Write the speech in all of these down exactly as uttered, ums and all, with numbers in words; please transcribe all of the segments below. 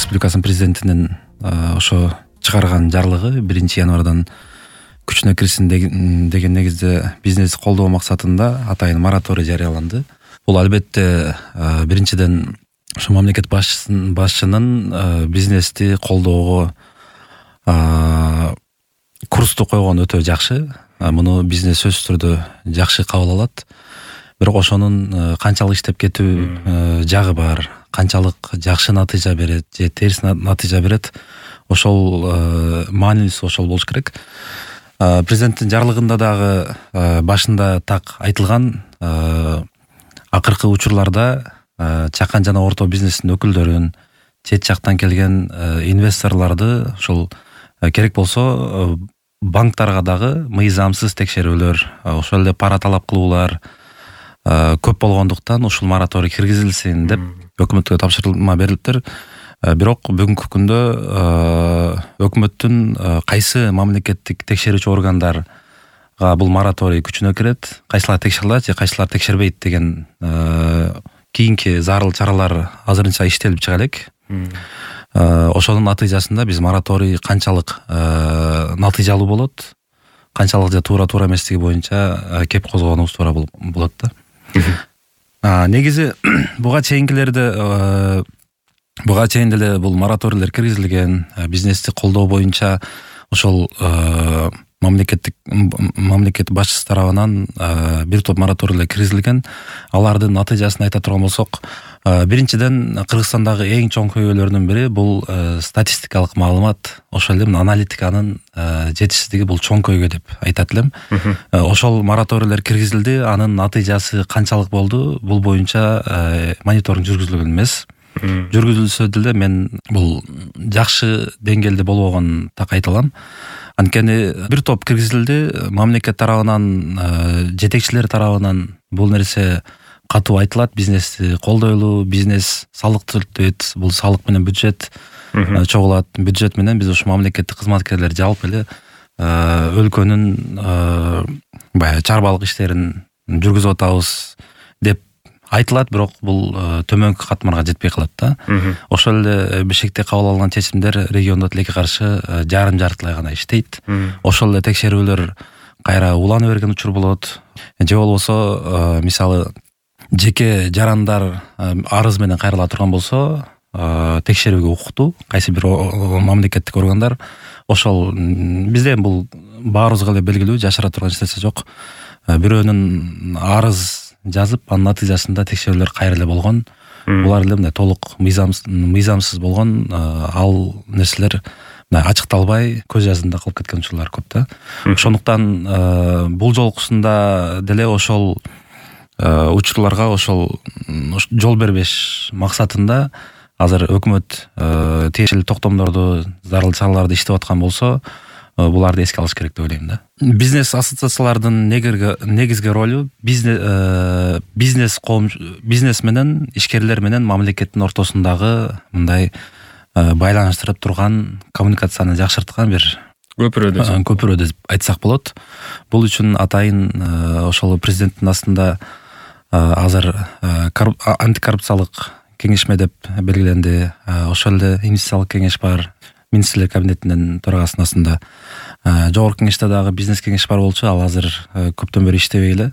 Республикасынын президентинин ошо чыгарган жарлыгы биринчи январдан күчүнө кирсин деген негизде бизнести колдоо максатында атайын мораторий жарыяланды. Бул албетте биринчиден ошо мамлекет башчысынын башчынын бизнести колдоого курсту койгону өтө жакшы. Муну бизнес сөзсүз түрдө жакшы кабыл алат. Бирок ошонун канчалык иштеп кетүү жагы бар, канчалык жакшы натыйжа берет же терс натыйжа берет, ошол маанилүүсү ошол болуш керек. Президенттин жарлыгында дагы башында так айтылган, акыркы учурларда чакан жана орто бизнестин өкүлдөрүн, чет жактан келген инвесторлорду ошол керек болсо банктарга дагы мыйзамсыз текшерүүлөр, ошол эле пара талап кылуулар көп болгондуктан ушул мораторий киргизилсин деп өкмөткө тапшырма берилиптир. Бирок бүгүнкү күндө өкмөттүн кайсы мамлекеттик текшерүүчү органдарга бул мораторий күчүнө кирет, кайсылар текшерилет же кайсылар текшербейт деген кийинки зарыл чаралар азырынча иштелип чыга элек. Ошонун натыйжасында биз мораторий канчалык натыйжалуу болот, канчалык же туура туура эместиги боюнча кеп козгоонубуз туура болот да. Негизи буга чейинкилерде буга чейин деле бул мораторийлер киргизилген, бизнести колдоо боюнча ошол мамлекеттик мамлекет башчысы тарабынан бир топ мораторийлер киргизилген. Алардын натыйжасын айта турган болсок, биринчиден Кыргызстандагы эң чоң көйгөйлөрдүн бири бул статистикалык маалымат, ошол эле аналитиканын жетишсиздиги бул чоң көйгөй деп айтат элем. Ошол мораторийлер киргизилди, анын натыйжасы канчалык болду, бул боюнча мониторинг жүргүзүлгөн эмес. Жүргүзүлсө деле мен бул жакшы деңгээлде болбогонун так айта алам. Анткени бир топ киргизилди, мамлекет тарабынан, жетекчилер тарабынан бул нерсе катуу айтылат, бизнести колдойлу, бизнес салык төлөйт, бул салык менен бюджет чогулат, бюджет менен биз ушу мамлекеттик кызматкерлер жалпы эле өлкөнүн баягы чарбалык иштерин жүргүзүп атабыз деп айтылат, бирок бул төмөнкү катмарга жетпей калат да. Ошол эле Бишкекте кабыл алынган чечимдер региондо тилекке каршы жарым жартылай гана иштейт. Ошол эле текшерүүлөр кайра улана берген учур болот. Же болбосо мисалы жеке жарандар арыз менен кайрыла турган болсо, текшерүүгө укуктуу кайсы бир мамлекеттик органдар, ошол бизде бул баарыбызга эле белгилүү, жашыра турган эч нерсе жок. Бирөөнүн арыз жазып, анын натыйжасында текшерүүлөр кайра эле болгон. Булар эле мындай толук мыйзамсыз болгон, ал нерселер ачыкталбай көз жазында калып кеткен учурлар көп да. Ошондуктан бул жолкусунда деле ошол учурларга ошол жол бербеш максатында азыр өкмөт тиешелүү токтомдорду, зарыл чараларды иштеп аткан болсо, буларды эске алыш керек деп ойлойм да. Бизнес ассоциациялардын негизги ролу бизнес бизнес коом бизнес менен ишкерлер менен мамлекеттин ортосундагы мындай байланыштырып турган, коммуникацияны жакшырткан бир көпүрө деп көпүрө деп айтсак болот. Бул үчүн атайын ошол президенттин астында азыр антикоррупциялык кеңешме деп белгиленди. Ошол эле инвестициялык кеңеш бар. Министрлер кабинетинин төрагасынын астында жогорку кеңеште дагы бизнес кеңеш бар болчу, ал азыр көптөн бери иштебей эле.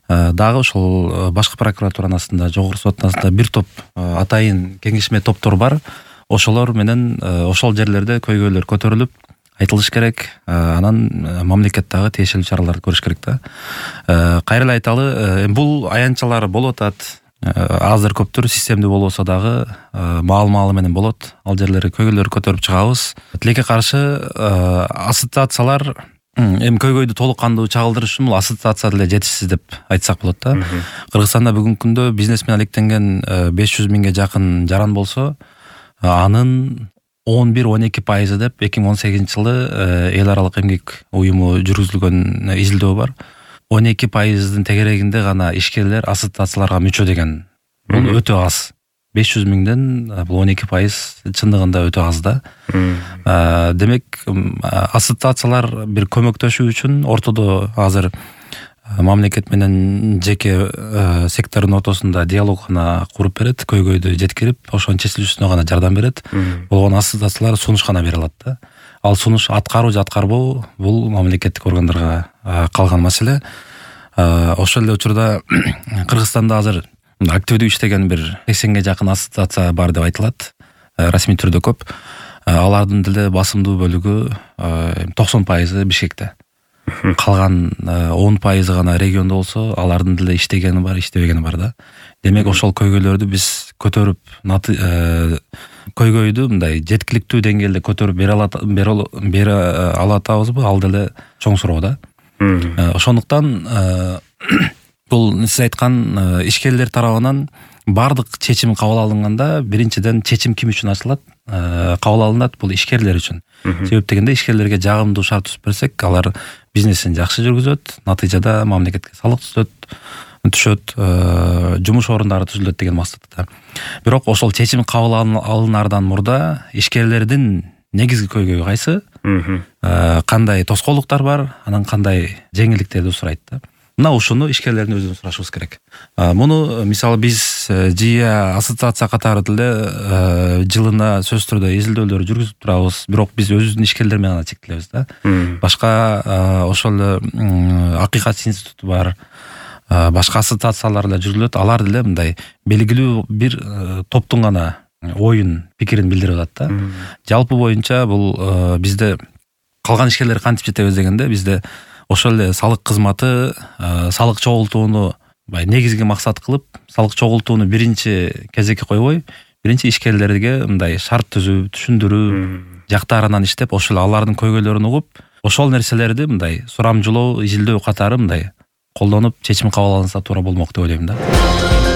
Дагы ошол башкы прокуратуранын астында, жогорку соттун астында бир топ атайын кеңешме топтор бар. Ошолор менен ошол жерлерде көйгөйлөр көтөрүлүп айтылыш керек, анан мамлекет дагы тиешелүү чараларды көрүш керек да. Кайра эле айталы, бул аянтчалар болуп атат. Азыр көптөр системдүү болбосо дагы маал-маалы менен болот. Ал жерлерге көйгөйлөр көтөрүп чыгабыз. Тилекке каршы ассоциациялар эми көйгөйдү толук кандуу чагылдырыш үчүн бул ассоциация деле жетишсиз деп айтсак болот да. Кыргызстанда бүгүнкү күндө бизнес менен алектенген беш жүз миңге жакын жаран болсо, анын он бир он эки пайызы деп эки миң он сегизинчи жылы эл аралык эмгек уюму жүргүзүлгөн изилдөө бар. он эки пайыздын тегерегинде гана ишкерлер ассоциацияларга мүчө деген. Бул өтө аз. беш жүз миңден бул он эки пайыз чындыгында өтө аз да. Демек, ассоциациялар бир көмөктөшүү үчүн ортодо азыр мамлекет менен жеке сектордун ортосунда диалог гана куруп берет, көйгөйдү жеткирип, ошонун чечилүүсүнө гана жардам берет. Болгон ассоциациялар сунуш гана бере алат да. Ал сунуш аткаруу же аткарбоо бул мамлекеттик органдарга калган маселе. Ошол эле учурда Кыргызстанда азыр активдүү иштеген бир сексенге жакын ассоциация бар деп айтылат. Расмий түрдө көп. Алардын деле басымдуу бөлүгү токсон пайызы Бишкекте. Калган он пайызы гана региондо болсо, алардын деле иштегени бар, иштебегени бар да. Демек ошол көйгөйлөрдү биз көтөрүп, көйгөйдү мындай жеткиликтүү деңгээлде көтөрүп бере алат, бере алатабызбы, ал деле чоң суроо да. Ошондуктан бул сиз айткан ишкерлер тарабынан бардык чечим кабыл алынганда, биринчиден чечим ким үчүн ачылат? Кабыл алынат, бул ишкерлер үчүн. Себеп дегенде ишкерлерге жагымдуу шарт түзүп берсек, алар бизнесин жакшы жүргүзөт, натыйжада мамлекетке салык түшөт, түшөт, жумуш орундары түзүлөт деген максатта. Бирок ошол чечим кабыл алынардан мурда ишкерлердин негизги көйгөйү кайсы? Кандай тоскоолдуктар бар, анан кандай жеңилдиктерди сурайт да. Мына ушуну ишкерлердин өзүнөн сурашыбыз керек. Муну мисалы биз жия ассоциация катары деле жылына сөзсүз түрдө изилдөөлөр жүргүзүп турабыз, бирок биз өзүбүздүн ишкерлер менен гана чектелебиз да. Башка ошол эле Акыйкат институту бар, башка ассоциациялар эле жүргүзүлөт, алар деле мындай белгилүү бир топтун гана оюн, пикирин билдирип атат да. Жалпы боюнча бул бизде калган ишкерлер кантип жетебиз дегенде, бизде ошол эле салык кызматы салык чогултууну негизги максат кылып, салык чогултууну биринчи кезекке койбой, биринчи ишкерлерге мындай шарт түзүү, түшүндүрүү жактарынан иштеп, ошол алардын көйгөйлөрүн угуп, ошол нерселерди мындай сурамжылоо, изилдөө катары мындай колдонуп, чечим кабыл алынса туура болмок деп ойлойм да.